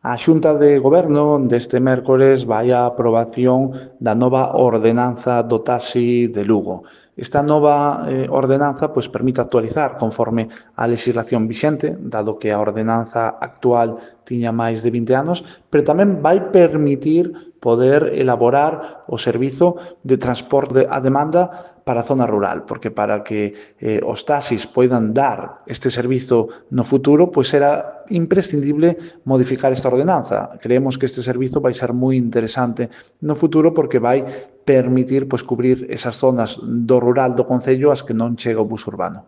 A Xunta de Goberno deste mércores vai á aprobación da nova ordenanza do taxi de Lugo. Esta nova ordenanza permite actualizar conforme a legislación vixente, dado que a ordenanza actual tiña máis de 20 anos, pero tamén vai permitir poder elaborar o servizo de transporte a demanda para a zona rural, porque para que os taxis poidan dar este servizo no futuro, será imprescindible modificar esta ordenanza. Creemos que este servizo vai ser moi interesante no futuro porque vai permitir cubrir esas zonas do rural do concello ás que non chega o bus urbano.